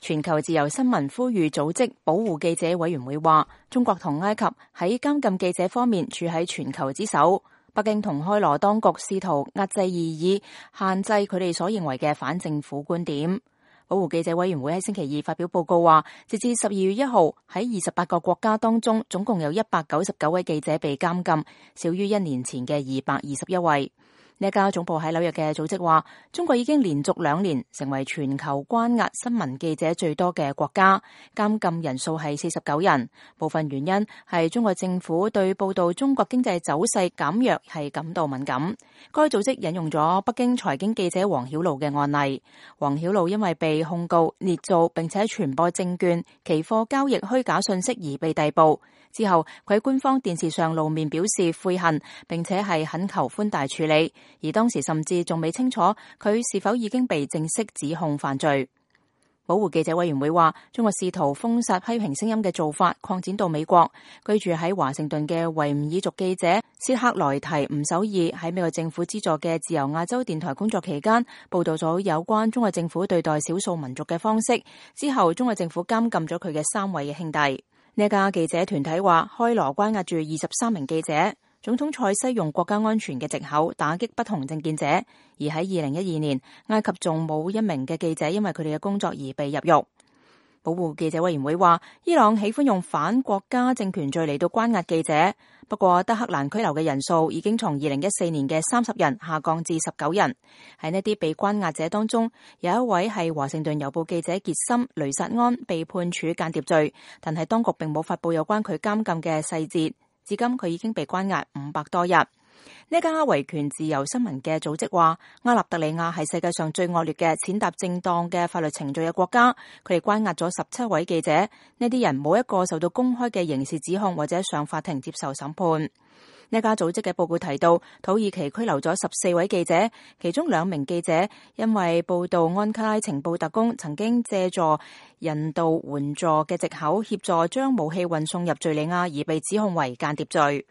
全球自由新聞呼籲組織保護記者委員會話，中國同埃及喺監禁記者方面處喺全球之首。北京同開羅當局試圖壓制異議，限制佢哋所認為嘅反政府觀點。保護記者委員會喺星期二發表報告話，截至12月1號，喺28個國家當中，總共有199位記者被監禁，少於1年前嘅221位。呢家總部喺紐約嘅組織話，中國已經連續2年成為全球關押新聞記者最多嘅國家，監禁人數係49人。部分原因係中國政府對報道中國經濟走勢減弱係感到敏感。該組織引用咗北京財經記者王曉露嘅案例。王曉露因為被控告捏造並且傳播證券、期貨交易虛假信息而被逮捕。之後，佢喺官方電視上露面表示悔恨，並且係懇求寬大處理。而當時甚至仲未清楚佢是否已經被正式指控犯罪。保護記者委員會話，中國試圖封殺批評聲音嘅做法擴展到美國。居住喺華盛頓嘅維吾爾族記者薛克萊提吳守義喺美國政府資助嘅自由亞洲電台工作期間，報道咗有關中國政府對待少數民族嘅方式。之後，中國政府監禁咗佢嘅3位嘅兄弟。呢家記者團體話，開羅關押住23名記者。總統塞西用國家安全嘅藉口打擊不同政見者，而喺2012年，埃及仲冇1名嘅記者因為佢哋嘅工作而被入獄。保護記者委員會話，伊朗喜歡用反國家政權罪嚟到關押記者，不過德黑蘭拘留嘅人數已經從2014年嘅30人下降至19人。喺呢啲被關押者當中，有一位係華盛頓郵報記者傑森·雷薩安被判處間諜罪，但係當局並冇發布有關佢監禁嘅細節。至今佢已經被關押500多日。呢家維權自由新聞嘅組織話，阿納特里亞係世界上最惡劣嘅踐踏正當嘅法律程序嘅國家。佢哋關押咗17位記者，呢啲人冇一個受到公開嘅刑事指控或者上法庭接受審判。呢家組織嘅報告提到，土耳其拘留咗14位記者，其中2名記者因為報道安卡拉情報特工曾經借助人道援助嘅藉口協助將武器運送入敘利亞而被指控為間諜罪。